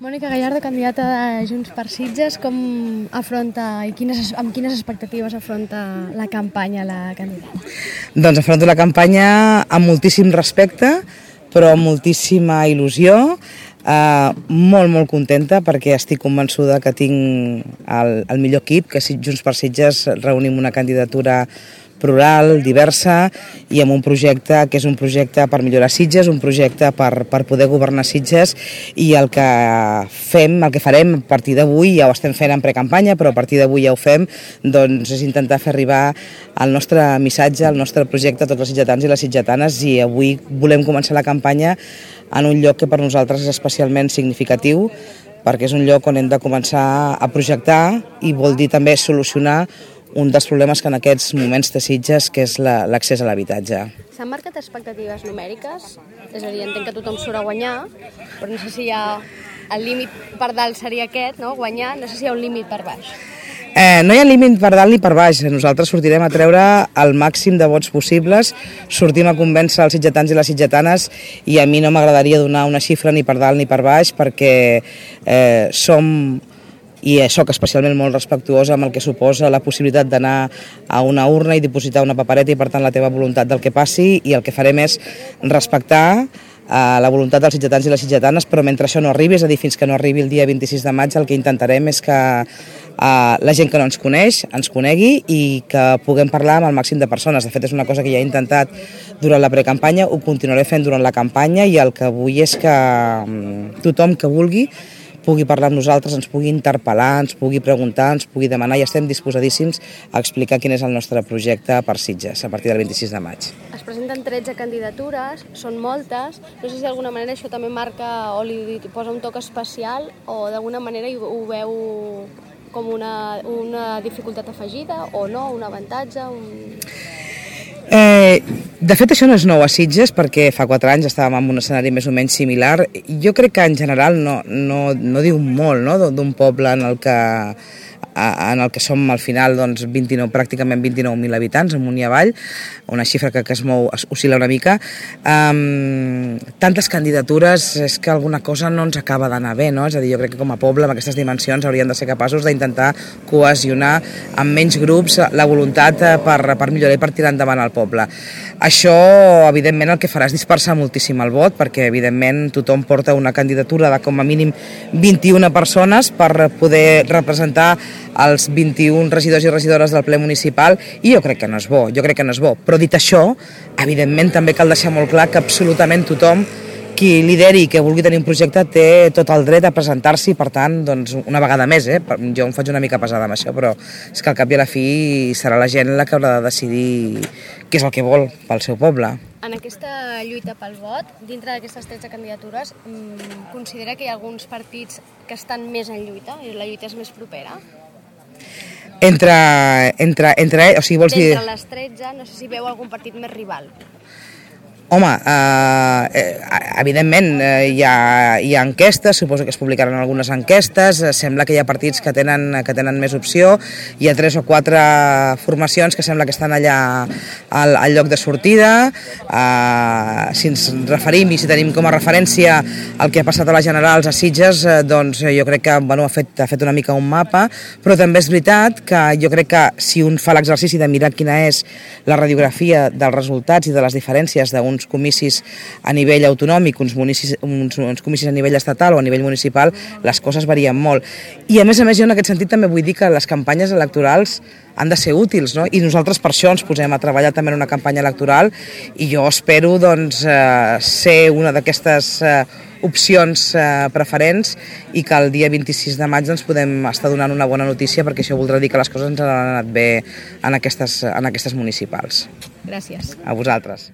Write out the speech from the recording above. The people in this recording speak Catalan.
Mònica Gallardo, candidata de Junts per Sitges, com afronta i amb quines expectatives afronta la campanya la candidata? Doncs afronto la campanya amb moltíssim respecte, però amb moltíssima il·lusió, molt contenta perquè estic convençuda que tinc el millor equip, que Junts per Sitges reunim una candidatura plural, diversa i amb un projecte que és un projecte per millorar Sitges, un projecte per poder governar Sitges, i el que farem a partir d'avui, ja ho estem fent en precampanya, però a partir d'avui ja ho fem, doncs és intentar fer arribar el nostre missatge, el nostre projecte a tots els sitgetans i les sitgetanes, i avui volem començar la campanya en un lloc que per nosaltres és especialment significatiu, perquè és un lloc on hem de començar a projectar i vol dir també solucionar un dels problemes que en aquests moments té Sitges, que és l'accés a l'habitatge. S'han marcat expectatives numèriques? És a dir, entenc que tothom surt a guanyar, però no sé si hi ha el límit per dalt seria aquest, no? Guanyar, no sé si hi ha un límit per baix. No hi ha límit per dalt ni per baix. Nosaltres sortirem a treure el màxim de vots possibles, sortim a convèncer els sitgetans i les sitgetanes, i a mi no m'agradaria donar una xifra ni per dalt ni per baix, perquè i soc especialment molt respectuosa amb el que suposa la possibilitat d'anar a una urna i dipositar una papereta i per tant la teva voluntat del que passi, i el que farem és respectar la voluntat dels sitgetans i les sitgetanes, però mentre això no arribi, és a dir, fins que no arribi el dia 26 de maig, el que intentarem és que la gent que no ens coneix ens conegui i que puguem parlar amb el màxim de persones. De fet, és una cosa que ja he intentat durant la precampanya, ho continuaré fent durant la campanya, i el que vull és que tothom que vulgui pugui parlar amb nosaltres, ens pugui interpel·lar, ens pugui preguntar, ens pugui demanar, i estem disposadíssims a explicar quin és el nostre projecte per Sitges a partir del 26 de maig. Es presenten 13 candidatures, són moltes, no sé si d'alguna manera això també marca o li posa un toc especial, o d'alguna manera ho veu com una dificultat afegida o no, un avantatge? De fet, això no és nou a Sitges, perquè fa 4 anys estàvem en un escenari més o menys similar. Jo crec que en general no diu molt, no?, d'un poble en el que som al final pràcticament 29.000 habitants, amunt i avall, una xifra que es mou, oscil·la una mica. Tantes candidatures, és que alguna cosa no ens acaba d'anar bé, no? És a dir, jo crec que com a poble, amb aquestes dimensions, hauríem de ser capaços d'intentar cohesionar amb menys grups la voluntat per millorar i per tirar endavant el poble. Això, evidentment, el que farà és dispersar moltíssim el vot, perquè, evidentment, tothom porta una candidatura de com a mínim 21 persones per poder representar els 21 regidors i regidores del ple municipal, i jo crec que no és bo, Però dit això, evidentment també cal deixar molt clar que absolutament tothom qui lideri i que vulgui tenir un projecte té tot el dret a presentar-s'hi, i per tant, doncs, una vegada més, jo em faig una mica pesada amb això, però és que al cap i a la fi serà la gent la que haurà de decidir què és el que vol pel seu poble. En aquesta lluita pel vot, dintre d'aquestes 13 candidatures, considera que hi ha alguns partits que estan més en lluita i la lluita és més propera? O sigui, vols dir... D'entre les 13, no sé si veu algun partit més rival. Home, evidentment hi ha enquestes, suposo que es publicaran algunes enquestes, sembla que hi ha partits que tenen més opció, hi ha 3 o 4 formacions que sembla que estan allà al lloc de sortida. Si ens referim i si tenim com a referència el que ha passat a les generals a Sitges, doncs jo crec que ha fet una mica un mapa, però també és veritat que jo crec que si un fa l'exercici de mirar quina és la radiografia dels resultats i de les diferències d'uns comicis a nivell autonòmic, uns comicis a nivell estatal o a nivell municipal, les coses varien molt. I a més jo en aquest sentit també vull dir que les campanyes electorals han de ser útils, no? I nosaltres per això ens posem a treballar també en una campanya electoral, i jo espero ser una d'aquestes opcions preferents, i que el dia 26 de maig ens podem estar donant una bona notícia, perquè això voldrà dir que les coses ens han anat bé en aquestes municipals. Gràcies. A vosaltres.